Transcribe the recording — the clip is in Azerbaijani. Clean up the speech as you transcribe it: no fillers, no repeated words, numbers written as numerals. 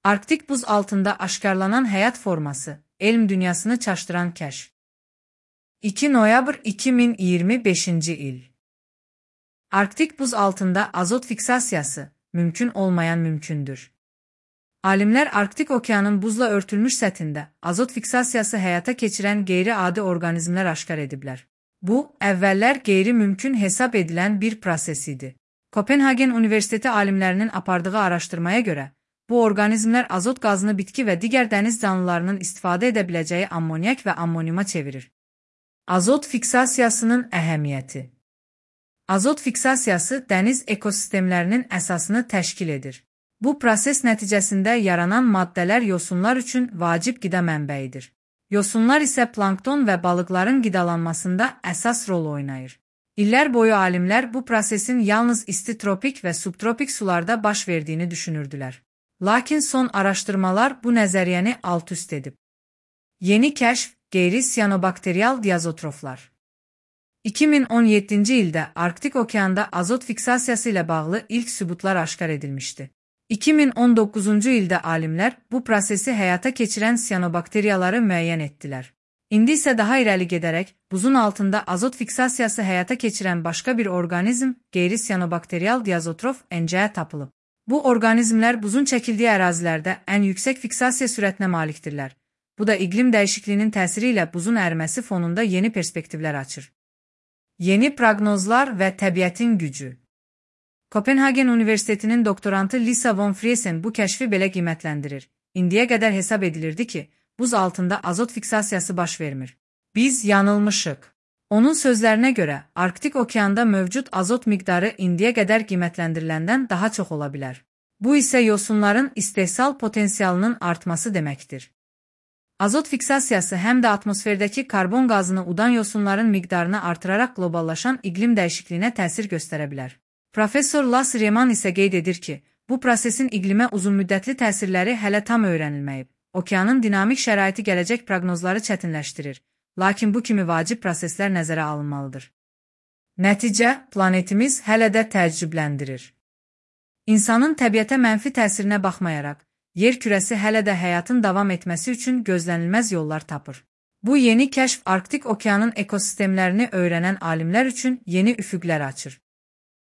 Arktik buz altında aşkarlanan həyat forması, elm dünyasını çaşdıran kəşf. 2 noyabr 2025 il. Arktik buz altında azot fiksasiyası, mümkün olmayan mümkündür. Alimlər Arktik okeanın buzla örtülmüş səthində azot fiksasiyası həyata keçirən qeyri-adi orqanizmlər aşkar ediblər. Bu, əvvəllər qeyri-mümkün hesab edilən bir proses idi. Kopenhagen Universiteti alimlərinin apardığı araşdırmaya görə, bu orqanizmlər azot qazını bitki və digər dəniz canlılarının istifadə edə biləcəyi ammonyak və ammoniuma çevirir. Azot fiksasiyasının əhəmiyyəti. Azot fiksasiyası dəniz ekosistemlərinin əsasını təşkil edir. Bu proses nəticəsində yaranan maddələr yosunlar üçün vacib qida mənbəyidir. Yosunlar isə plankton və balıqların qidalanmasında əsas rol oynayır. İllər boyu alimlər bu prosesin yalnız isti tropik və subtropik sularda baş verdiyini düşünürdülər. Lakin son araşdırmalar bu nəzəriyyəni alt-üst edib. Yeni kəşf, qeyri-siyanobakteriyal diazotroflar. 2017-ci ildə Arktik okeanda azot fiksasiyası ilə bağlı ilk sübutlar aşkar edilmişdi. 2019-cu ildə alimlər bu prosesi həyata keçirən siyanobakteriyaları müəyyən etdilər. İndi isə daha irəli gedərək, buzun altında azot fiksasiyası həyata keçirən başqa bir orqanizm, qeyri-siyanobakteriyal diazotrof NCA tapılıb. Bu orqanizmlər buzun çəkildiyi ərazilərdə ən yüksək fiksasiya sürətinə malikdirlər. Bu da iqlim dəyişikliyinin təsiri ilə buzun əriməsi fonunda yeni perspektivlər açır. Yeni proqnozlar və təbiətin gücü. Kopenhagen Universitetinin doktorantı Lisa von Friesen bu kəşfi belə qiymətləndirir. İndiyə qədər hesab edilirdi ki, buz altında azot fiksasiyası baş vermir. Biz yanılmışıq. Onun sözlərinə görə, Arktik okeanda mövcud azot miqdarı indiyə qədər qiymətləndiriləndən daha çox ola bilər. Bu isə yosunların istehsal potensialının artması deməkdir. Azot fiksasiyası həm də atmosferdəki karbon qazını udan yosunların miqdarını artıraraq qloballaşan iqlim dəyişikliyinə təsir göstərə bilər. Professor Lars Reman isə qeyd edir ki, bu prosesin iqlimə uzunmüddətli təsirləri hələ tam öyrənilməyib. Okeanın dinamik şəraiti gələcək proqnozları çətinləşdirir, lakin bu kimi vacib proseslər nəzərə alınmalıdır. Nəticə, planetimiz hələ də təəccübləndirir. İnsanın təbiətə mənfi təsirinə baxmayaraq, yer kürəsi hələ də həyatın davam etməsi üçün gözlənilməz yollar tapır. Bu yeni kəşf Arktik okeanın ekosistemlərini öyrənən alimlər üçün yeni üfüqlər açır.